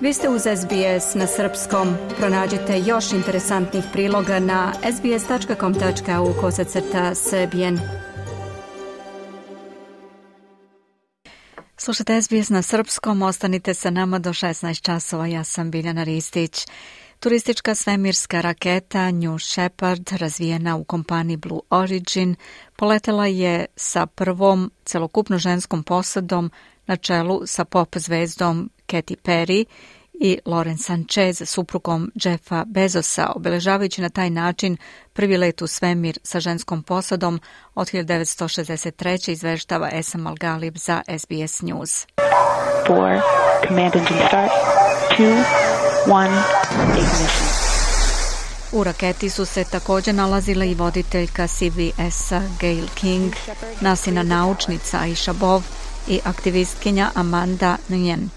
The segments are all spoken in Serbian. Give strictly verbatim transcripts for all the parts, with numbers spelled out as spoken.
Vi ste uz S B S na srpskom. Pronađite još interesantnih priloga na sbs.com.au kosacrta srbijen. Slušajte S B S na srpskom, ostanite sa nama do šesnaest časova. Ja sam Biljana Ristić. Turistička svemirska raketa New Shepard, razvijena u kompaniji Blue Origin, poletela je sa prvom celokupno ženskom posadom na čelu sa pop zvezdom Katy Perry i Lauren Sanchez, suprugom Jeffa Bezosa, obeležavajući na taj način prvi let u svemir sa ženskom posadom od hiljadu devetsto šezdeset treće. izveštava Esam Al-Galib za S B S News. four, command engine start, two, one, ignition. U raketi su se također nalazila i voditeljka C B S-a Gayle King, nasina naučnica Aisha Bov i aktivistkinja Amanda Nguyen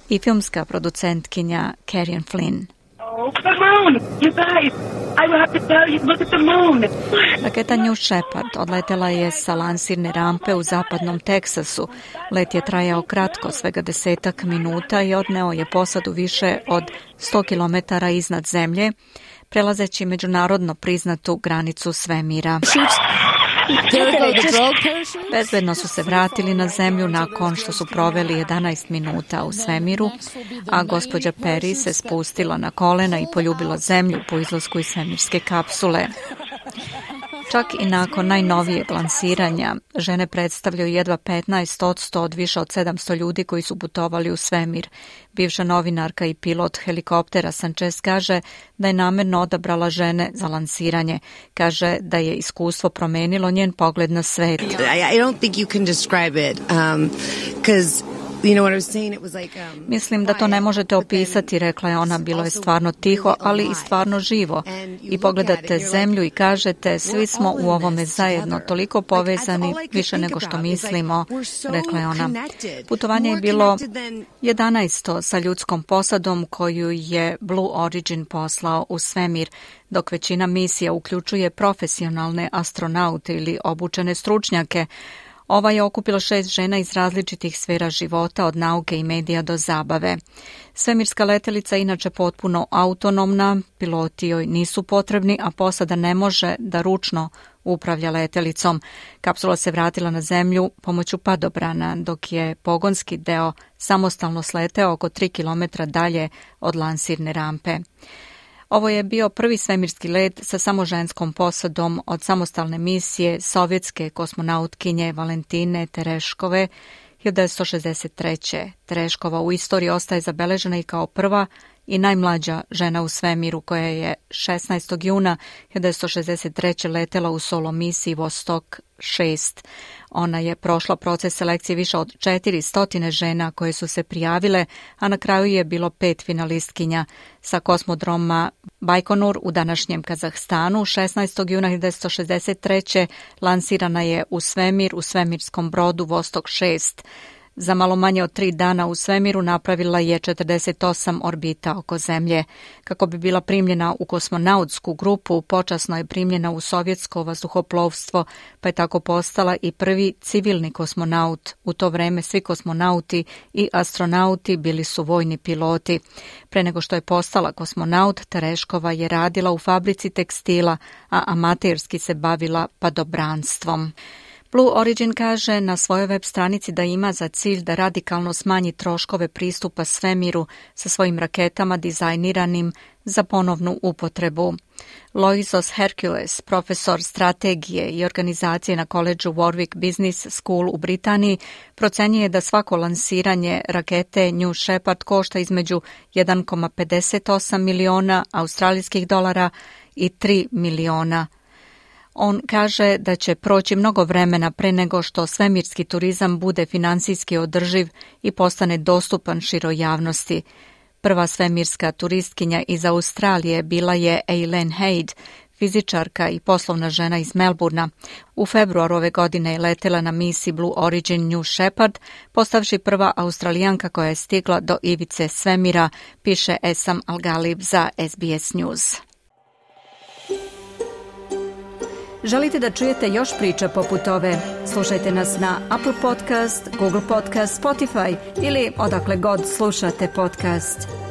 i filmska producentkinja Carrie Flynn. Oh, the moon! You guys, I will have to tell you, look at the moon! Raketa New Shepard odletela je sa lansirne rampe u zapadnom Teksasu. Let je trajao kratko, svega desetak minuta i odneo je posadu više od sto kilometara iznad zemlje, prelazeći međunarodno priznatu granicu svemira. Bezbedno su se vratili na zemlju nakon što su proveli jedanaest minuta u svemiru, a gospođa Perry se spustila na kolena i poljubila zemlju po izlasku iz svemirske kapsule. Čak i nakon najnovijeg lansiranja, žene predstavljaju jedva petnaest posto od više od sedamsto ljudi koji su putovali u svemir. Bivša novinarka i pilot helikoptera Sanchez kaže da je namerno odabrala žene za lansiranje. Kaže da je iskustvo promenilo njen pogled na svet. I don't think you can describe it, um, 'cause you know what I was saying, it was like, um, Mislim da to ne možete opisati, rekla je ona, bilo je stvarno tiho, ali i stvarno živo. I pogledate zemlju i kažete, svi smo u ovome zajedno, toliko povezani, više nego što mislimo, rekla je ona. Putovanje je bilo jedanaesto sa ljudskom posadom koju je Blue Origin poslao u svemir, dok većina misija uključuje profesionalne astronaute ili obučene stručnjake. Ova je okupila šest žena iz različitih sfera života, od nauke i medija do zabave. Svemirska letelica je inače potpuno autonomna, piloti joj nisu potrebni, a posada ne može da ručno upravlja letelicom. Kapsula se vratila na zemlju pomoću padobrana, dok je pogonski deo samostalno sleteo oko tri kilometra dalje od lansirne rampe. Ovo je bio prvi svemirski let sa samo ženskom posadom od samostalne misije sovjetske kosmonautkinje Valentine Tereškove hiljadu devetsto šezdeset treće. Tereškova u istoriji ostaje zabeležena i kao prva i najmlađa žena u svemiru, koja je šesnaestog juna hiljadu devetsto šezdeset treće. letela u solo misiji Vostok šest. Ona je prošla proces selekcije više od četiristo žena koje su se prijavile, a na kraju je bilo pet finalistkinja. Sa kosmodroma Bajkonur u današnjem Kazahstanu šesnaestog juna hiljadu devetsto šezdeset treće. lansirana je u svemir u svemirskom brodu Vostok šest. Za malo manje od tri dana u svemiru napravila je četrdeset osam orbita oko zemlje. Kako bi bila primljena u kosmonautsku grupu, počasno je primljena u sovjetsko vazduhoplovstvo, pa je tako postala i prvi civilni kosmonaut. U to vreme svi kosmonauti i astronauti bili su vojni piloti. Pre nego što je postala kosmonaut, Tereškova je radila u fabrici tekstila, a amaterski se bavila padobranstvom. Blue Origin kaže na svojoj web stranici da ima za cilj da radikalno smanji troškove pristupa svemiru sa svojim raketama dizajniranim za ponovnu upotrebu. Loisos Hercules, profesor strategije i organizacije na koledžu Warwick Business School u Britaniji, procenjuje da svako lansiranje rakete New Shepard košta između jedan zarez pedeset osam miliona australijskih dolara i tri miliona. On kaže da će proći mnogo vremena pre nego što svemirski turizam bude finansijski održiv i postane dostupan široj javnosti. Prva svemirska turistkinja iz Australije bila je Eileen Haid, fizičarka i poslovna žena iz Melburna. U februaru ove godine je letela na misiji Blue Origin New Shepard, postavši prva Australijanka koja je stigla do ivice svemira, piše Esam Al-Galib za S B S News. Želite da čujete još priča poput ove? Slušajte nas na Apple Podcast, Google Podcast, Spotify ili odakle god slušate podcast.